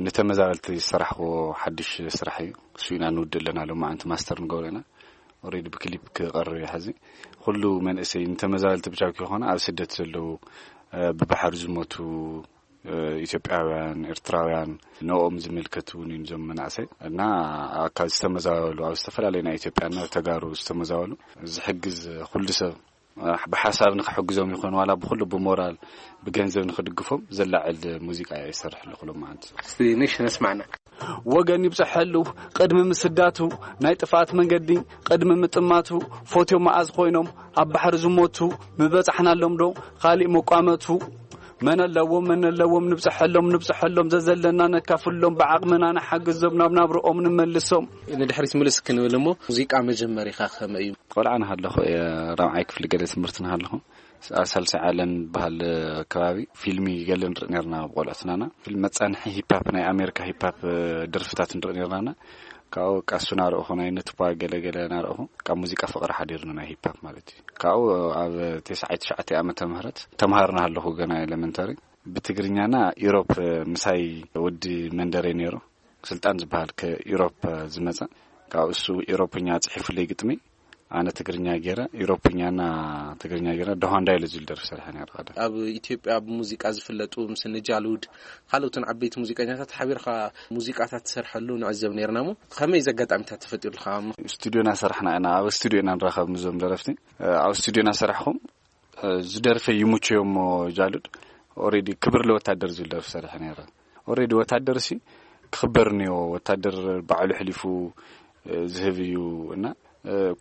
ንተመዛበልቲ ዝሰራሕክዎ ሓድሽ ስራሕ እዩ እሱ ኢና ንውድእ ኣለና ሎማዓንቲ ማስተር ንገብሮ ኢና ኦሬዲ ብክሊፕ ክቐርብ እዩ ሕዚ ኩሉ መንእሰይ ንተመዛበልቲ ብቻ ከይኮነ ኣብ ስደት ዘለዉ ብባሕሪ ዝሞቱ ኢትዮጵያውያን ኤርትራውያን ንኦም ዝምልከት እውን እዩ ዞም መናእሰይ እና ካብ ዝተመዛበሉ ኣብ ዝተፈላለዩ ናይ ኢትዮጵያና ተጋሩ ዝተመዛበሉ ዝሕግዝ ኩሉ ሰብ ብሓሳብ ንክሕግዞም ይኹን ዋላ ብኩሉ ብሞራል ብገንዘብ ንክድግፎም ዘላዕል ሙዚቃ እየ ይሰርሕ ኣለኹ ሎማዓንቲ። እስቲ ንሽ ነስማዕና። ወገን ይብጽሐሉ ቅድሚ ምስዳቱ ናይ ጥፍኣት መንገዲ ቅድሚ ምጥማቱ ፎትዮ መኣዝ ኮይኖም ኣብ ባሕሪ ዝሞቱ ምበጻሕናሎም ዶ ካሊእ መቋመቱ መን ኣለዎም መን ኣለዎም ንብጽሐሎም ንብጽሐሎም ዘዘለና ነካፍሎም ብዓቕምና ንሓግዞም ናብ ናብርኦም ንመልሶም። ንድሕሪት ምልስ ክንብል እሞ ሙዚቃ መጀመሪኻ ከመይ እዩ? ቆልዓ ንሃለኹ እየ ራብዓይ ክፍሊ ገለ ትምህርቲ ንሃለኹ ኣብ ሳልሳይ ዓለም ዝበሃል ከባቢ ፊልሚ ገለ ንርኢ ነርና ቆልዑትናና ፊልም መጻንሒ ሂፓፕ ናይ ኣሜሪካ ሂፓፕ ደርፍታት ንርኢ ነርናና ካብኡ ቃሱ ናረእኹ ናይ ነትኳ ገለ ገለ ናረእኹ ካብ ሙዚቃ ፍቕሪ ሓዲርኒ ናይ ሂፓፕ ማለት እዩ ካብኡ ኣብ ተስዓይ ትሽዓተ ዓመተ ምህረት ተምሃሮ ናሃለኹ ገና ኤለመንተሪ ብትግርኛና ኢሮፕ ምሳይ ወዲ መንደረይ ነይሩ ስልጣን ዝበሃል ከኢሮፕ ዝመጸ ካብ እሱ ኢሮፕኛ ጽሒፉለይ ግጥሚ ኣነ ትግርኛ ገይረ ኢሮፕኛና ትግርኛ ገይረ ደሆንዳ ኢሉ ዝብል ደርፊ ሰሪሐ ነይረ ቀደም። ኣብ ኢትዮጵያ ብሙዚቃ ዝፍለጡ ምስ ንጃሉድ ካልኦትን ዓበይቲ ሙዚቀኛታት ሓቢርካ ሙዚቃታት ትሰርሐሉ ንዕዘብ ነይርና እሞ ከመይ እዚ ኣጋጣሚታት ተፈጢሩልካ? ስቱድዮና ሰራሕና ኢና ኣብ ስቱድዮ ኢና ንራኸብ ምስዞም ደረፍቲ ኣብ ስቱድዮና ሰራሕኹም ዝደርፈ ይሙቸዮ እሞ ጃሉድ ኦሬዲ ክብር ለወታደር ዝብል ደርፊ ሰሪሐ ነይረ። ኦሬዲ ወታደር ሲ ክኽበር እኒኦ ወታደር ባዕሉ ሕሊፉ ዝህብ እዩ እና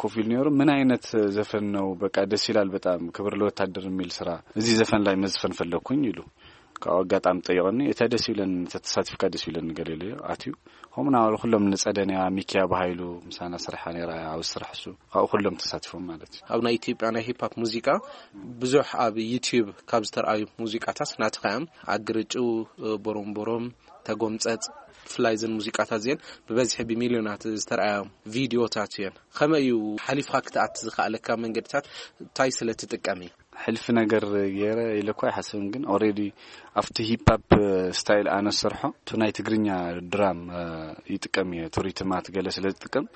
ኮፍ ኢሉ ነይሩ ምን አይነት ዘፈን ነው በቃ ደስ ይላል በጣም ክብር ለወታደር የሚል ስራ እዚህ ዘፈን ላይ መዝፈን ፈለግኩኝ ይሉ ካብኡ ኣጋጣሚ ጠይቐኒ፣ እታ ደስ ይብለኒ፣ እታ ተሳቲፍካ ደስ ይብለኒ ገለ ኢለዮ። ኣትዩ። ከምኡ እናበሉ ኩሎም ንጸደንያ፣ ሚኪያ ብሃይሉ ምሳና ስርሓ ነይራ፣ ኣብ ስራሕ እሱ። ካብኡ ኩሎም ተሳቲፎም ማለት እዩ። ኣብ ናይ ኢትዮጵያ ናይ ሂፕ ሆፕ ሙዚቃ ብዙሕ ኣብ ዩቲዩብ ካብ ዝተርኣዩ ሙዚቃታት ናትኻ እዮም። ኣግርጭው፣ ቦሮምቦሮም፣ ተጎምጸጽ፣ ብፍላይ እዘን ሙዚቃታት እዚአን ብበዝሒ ብሚልዮናት ዝተርኣያ ቪዲዮታት እየን። ከመይ እዩ ሓሊፍካ ክትኣቲ ዝኸኣለካ መንገድታት እንታይ ስለ ትጥቀም እዩ? ሕልፊ ነገር ገይረ ኢለ እኳ ኣይሓስብን፣ ግን ኦሬዲ ኣብቲ ሂፕ ሆፕ ስታይል ኣነ ዝሰርሖ፣ እቲ ናይ ትግርኛ ድራም ይጥቀም እየ፣ እቲ ሪትማት ገለ ስለ ዝጥቀም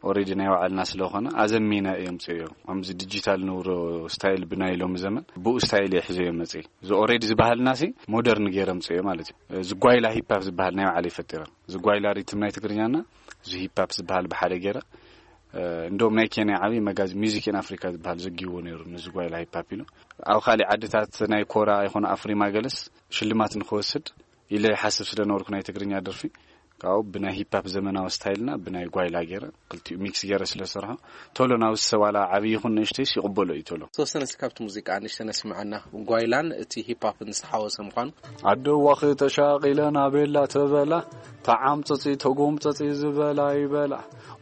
ኦሬዲ ናይ ባዕልና ስለኾነ ኣዘሚነ እዮም ጽዮ። ከምዚ ዲጂታል ንብሮ ስታይል ብናይ ሎሚ ዘመን ብኡ ስታይል እየ ሒዘዮ መጽእ። እዚ ኦሬዲ ዝበሃልና ሲ ሞደርን ገይረ ምጽዮ ማለት እዩ። እዚ ጓይላ ሂፕ ሆፕ ዝበሃል ናይ ባዕለይ ፈጢረ። እዚ ጓይላ ሪትም ናይ ትግርኛና እዚ ሂፕ ሆፕ ዝበሃል ብሓደ ገይረ። እንደውም ናይ ኬንያ ዓብዪ መጋዚ ሚዚክ ኢን ኣፍሪካ ዝበሃል ዘጊዎ ነይሩ፣ ንዚ ጓይላ ሂፕ ሆፕ ኢሉ። ኣብ ካሊእ ዓድታት ናይ ኮራ ይኹን ኣፍሪማ ገለስ ሽልማት ንክወስድ ኢለ ይሓስብ ስለ ነበርኩ ናይ ትግርኛ ደርፊ ካብኡ ብናይ ሂፕ ሆፕ ዘመናዊ ስታይልና ብናይ ጓይላ ገይረ ክልቲኡ ሚክስ ገይረ ስለ ዝሰርሖ ቶሎ ናብ ሰብ ዋላ ዓብዪ ይኹን ንእሽተይስ ይቕበሎ እዩ ቶሎ። ተወሰነ እስኪ ካብቲ ሙዚቃ ንእሽተይ ነስምዐና። ጓይላን እቲ ሂፕ ሆፕን ዝተሓወሰ ምዃኑ። ኣደዋኺ ተሻቒለ ናቤላ ተበላ፣ ተዓምፀፂ ተጎምፀፂ ዝበላ ይበላ።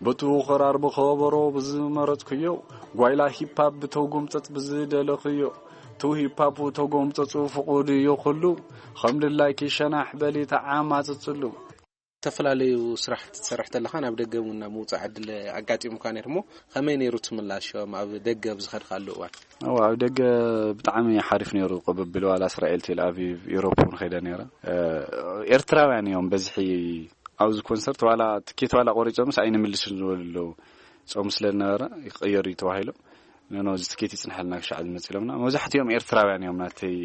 ብቱ ኽራር ብኸበሮ ብዝመረፅክዮ፣ ጓይላ ሂፕ ሆፕ ብተጎምፀፅ ብዝደለኽዮ። ቱ ሂፕ ሆፕ ተጎምፀፁ ፍቑድ እዩ ኩሉ፣ ከም ድላይኪ ሸናሕ በሊ ተዓማፅፅሉ። ዝተፈላለዩ ስራሕቲ ትሰርሕ ተለኻ ናብ ደገ እውን ናብ ምውፃእ ዕድል ኣጋጢሙካ ነይሩ እሞ ከመይ ነይሩ ትምላሾም ኣብ ደገ ኣብ ዝኸድካሉ እዋን? እዋ ኣብ ደገ ብጣዕሚ ሓሪፍ ነይሩ ቅብብል፣ ዋላ እስራኤል ቴል ኣቪቭ ኢሮፕ እውን ኸይደ ነይረ። ኤርትራውያን እዮም በዝሒ ኣብዚ ኮንሰርት፣ ዋላ ትኬት ዋላ ቆሪፆምስ ኣይንምልስን ዝበሉ ኣለዉ። ፆም ስለ ዝነበረ ይቀየር እዩ ተባሂሎም። ኖ እዚ ትኬት ይፅንሐልና ክሻዕ ዝመፅ ኢሎምና። መብዛሕትኦም ኤርትራውያን እዮም ናተይ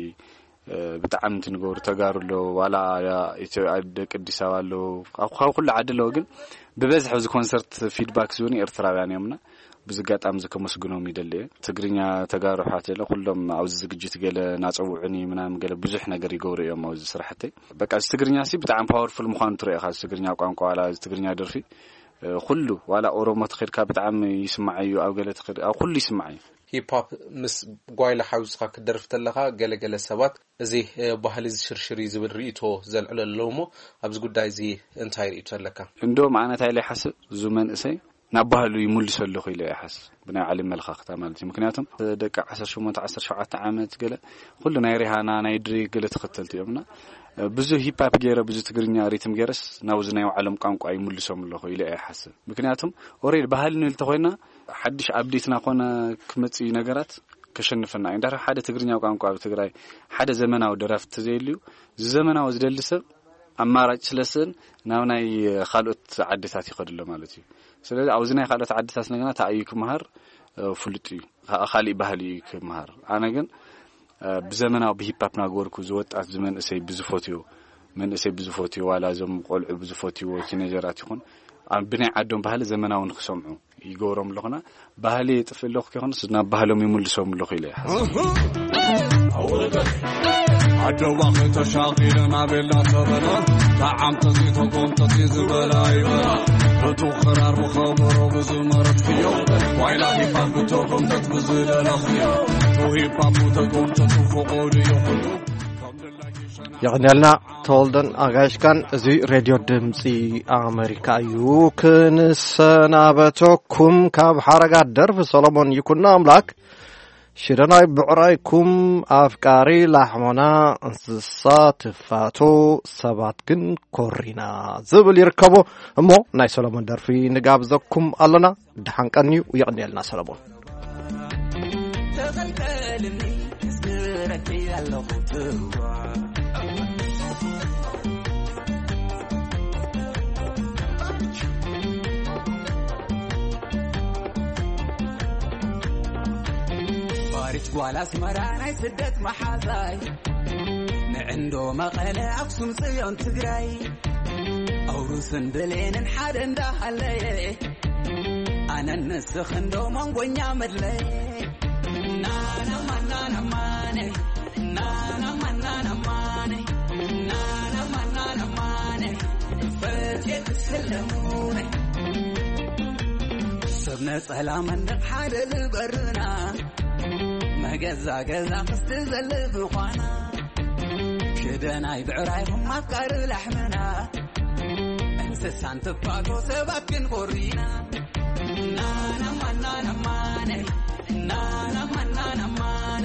ብጣዕሚ እንትንገብሩ ተጋሩ ኣለዉ፣ ዋላ ኢትዮ ኣደ ቅዲስ ኣበባ ኣለዉ፣ ካብ ኩሉ ዓዲ ኣለዉ። ግን ብበዝሒ ኣብዚ ኮንሰርት ፊድባክ ዝህቡኒ ኤርትራውያን እዮምና። ብዚ ኣጋጣሚ እዚ ከመስግኖም ይደሊ እየ። ትግርኛ ተጋሩ ኣሕዋት የለ ኩሎም ኣብዚ ዝግጅት ገለ ናጸውዑኒ ምናምን ገለ ብዙሕ ነገር ይገብሩ እዮም ኣብዚ ስራሕተይ። በቃ እዚ ትግርኛ ሲ ብጣዕሚ ፓወርፉል ምዃኑ ትርኢ ኢኻ። እዚ ትግርኛ ቋንቋ ዋላ እዚ ትግርኛ ደርፊ ኩሉ ዋላ ኦሮሞ ተኸድካ ብጣዕሚ ይስማዕ እዩ። ኣብ ገለ ተኸድ ኣብ ኩሉ ይስማዕ እዩ። ሂፕ ሆፕ ምስ ጓይላ ሓዊስካ ክትደርፍ ተለኻ ገለገለ ሰባት እዚ ባህሊ ዝሽርሽር እዩ ዝብል ርእይቶ ዘልዕሉ ኣለዉ እሞ ኣብዚ ጉዳይ እዚ እንታይ ርእይቶ ኣለካ? እንደውም ኣነ እንታይ ኢለ ይሓስብ፣ እዚ መንእሰይ ናብ ባህሉ ይምልሶ ኣለኹ ኢለ ይሓስብ፣ ብናይ ዓለም መልኻኽታ ማለት እዩ። ምክንያቱም ደቂ ዓሰርተ ሸሞንተ ዓሰርተ ሸውዓተ ዓመት ገለ ኩሉ ናይ ሪሃና ናይ ድሬክ ገለ ተኸተልቲ እዮም እና ብዙ ሂፕ ሆፕ ገይረ ብዙ ትግርኛ ሪትም ገይረስ ናብዚ ናይ ባዕሎም ቋንቋ ይምልሶም ኣለኹ ኢለ እየ ይሓስብ። ምክንያቱም ኦሬዲ ባህሊ ንብል ተኾይና ሓድሽ ኣፕዴትና ኮነ ክመጽእ እዩ ነገራት ከሸንፈና እዩ። እንዳር ሓደ ትግርኛ ቋንቋ ኣብ ትግራይ ሓደ ዘመናዊ ደራፍቲ ተዘይልዩ፣ እዚ ዘመናዊ ዝደሊ ሰብ ኣማራጭ ስለስን ናብ ናይ ካልኦት ዓድታት ይኸድሎ ማለት እዩ። ስለዚ ኣብዚ ናይ ካልኦት ዓድታት ነገና ተኣዩ ክመሃር ፍሉጥ እዩ። ካሊእ ባህሊ እዩ ክመሃር። ኣነ ግን ብዘመናዊ ብሂፓፕ ናገበርኩ ዝወጣት ዝመንእሰይ ብዝፈትዮ መንእሰይ ብዝፈትዮ ዋላ እዞም ቆልዑ ብዝፈትይዎ ቲኔጀራት ይኹን ኣብ ብናይ ዓዶም ባህሊ ዘመናዊ ንክሰምዑ ይገብሮም ኣለኹና። ባህሊ የጥፍእ ኣለኹ ከይኮነስ ናብ ባህሎም ይምልሶም ኣለኹ ኢለ ይሓስብ። ኣደዋ ከተሻቒለ ናቤላ ተበላ ተዓምተዚ ተጎምተዚ ዝበላ ይበላ በቱ ኽራር ብኸበሮ ብዝመረትክዮ ዋይላ ሂፓፕ ብተጎምተት ብዝደለኽዮ ቱ ሂፓፕ ተጎምተቱ ፍቑድ እዩ ኩሉ ከም ድላይኪ ሸና የቐንያልና ተወልደን ኣጋይሽካን። እዚ ሬድዮ ድምፂ ኣሜሪካ እዩ። ክንሰናበተኩም ካብ ሓረጋት ደርፊ ሰሎሞን ይኩኖ ኣምላክ ሽደናይ ብዕራይኩም ኣፍቃሪ ላሕሞና እንስሳ ትፋቶ ሰባት ግን ኮሪና ዝብል ይርከቦ። እሞ ናይ ሰሎሞን ደርፊ ንጋብዘኩም ኣለና። ደሓን ቀንዩ። የቐንየልና ሰሎሞን። ተቐልቀልኒ ክዝክረኪ ኣለኹ ትዋ ፋሪት ጓል ኣስመራ ናይ ስደት መሓዛይ ንዕንዶ መቐለ ኣክሱም ጽዮን ትግራይ ኣውሩስን ብሌንን ሓደ እንዳሃለየ ኣነን ንስኽ እንዶ መንጎኛ መድለየ ናናማናናማነ ናናማናናማነ ናናማናናማነ ፈትየ ክስለሙነ ሰብ ነጸላ መንደቕ ሓደ ልበርና መገዛ ገዛ ክስቲ ዘለ ብዃና ሽደ ደናይ ብዕራይኹም ኣፍቃሪ ላሕምና፣ እንስሳን ትፋቶ ሰባት ክንኮሪና። ናናማ ናናማነ፣ ናናማ ናናማነ።